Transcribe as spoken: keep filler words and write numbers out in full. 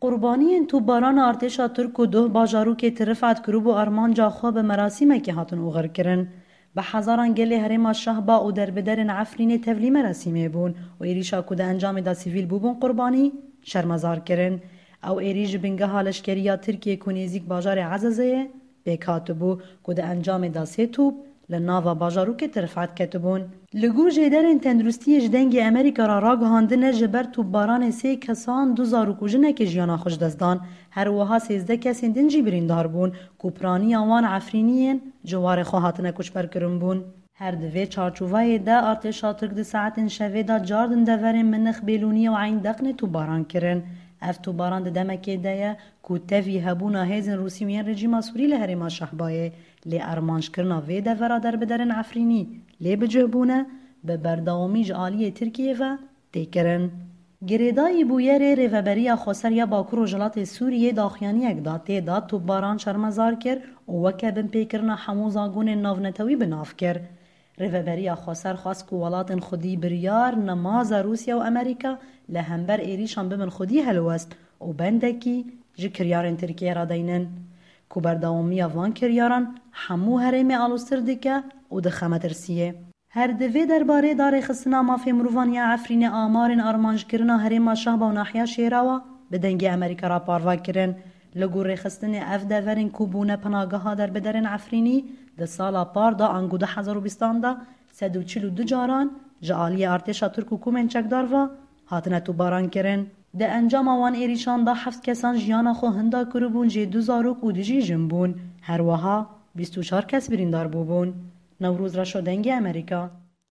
Qurbaniyên topbarana artêşa Tirk ku duh bajarokê Tirifat kiribû armanca xwe bi merasîmekê hatin oxirkirin. Bi hezaran gelê herêma Şehba û derbiderên Efrînê tevlî merasîmê bûn û êrîşa ku di encamê de sivîl bûbûn qurbanî, şermezar kirin. Ew êrîş ji bingeha leşkeriya Tirkiyê ku nêzîk bajarê Ezezê ye, pêk hatibû ku di encamê de sê top li nava bajarokê Tirifat ketibûn. Li gor jêderên tenduristiyê ji Dengê Amerîka re ragihandine, ji ber topbaranê sê kesan, du zarok û jinekê jiyana xwe ji dest dan. Her wiha sêzdeh kesên din jî birîndar bûn ku piraniya wan Efrîniyên ciwarê xwe hatine koçberkirin bûn. Her di vê çarçovayê de artêşa Tirk di saetên şevê de cardin deverên Minix, Bêlûniyê û Eyn Deqnê topbaran kirin. Ev topbaran di demekê de ye ku tevî hebûna hêzên Rûsî û yên rejîma Sûrî li herêma Şehbayê, lê armancekirina vê devera derbiderên Efrînî lê bi cih bûne, bi berdewamî ji aliyê Tirkiyê ve tê kirin. Girêdayî bûyerê Rêveberiya Xweser ya Bakur Rojhilatê Sûriyê daxuyaniyek da, tê de topbaran şermezar kir û weke binpêkirina hemû zagonên navnetewî bi nav kir. Rêveberiya Xweser xwest ku welatên xwedî biryar nemaza Rûsya û Amerîka li hember êrîşan bibin xwedî helwest û bendekî ji kiryarên Tirkiyê re deynin, ku berdewamiya van kiryaran hemû herêmê aloztir dike û dixe metirsiyê. Her di vê derbarê de Rêxistina Mafê Mirovan ya Efrînê amarên armancekirina herêma Şehba û nahiya Şêrawa bi Dengê Amerîka re parve kirin. Li gor rêxistinê, ev deverên ku bûne penageha derbiderên Efrînî, di sala par de ango du hezar û bîstan de sed û çil û du caran ji aliyê artêşa Tirk û komên çekdar ve hatine topbaran kirin. Di encama wan êrîşan de heft kesan jiyana xwe hinda kiribûn, jê du zarok û du jî jin bûn. Her wiha bîst û çar kes birîndar bûbûn. Newroz Reşo, Dengê Amerîka.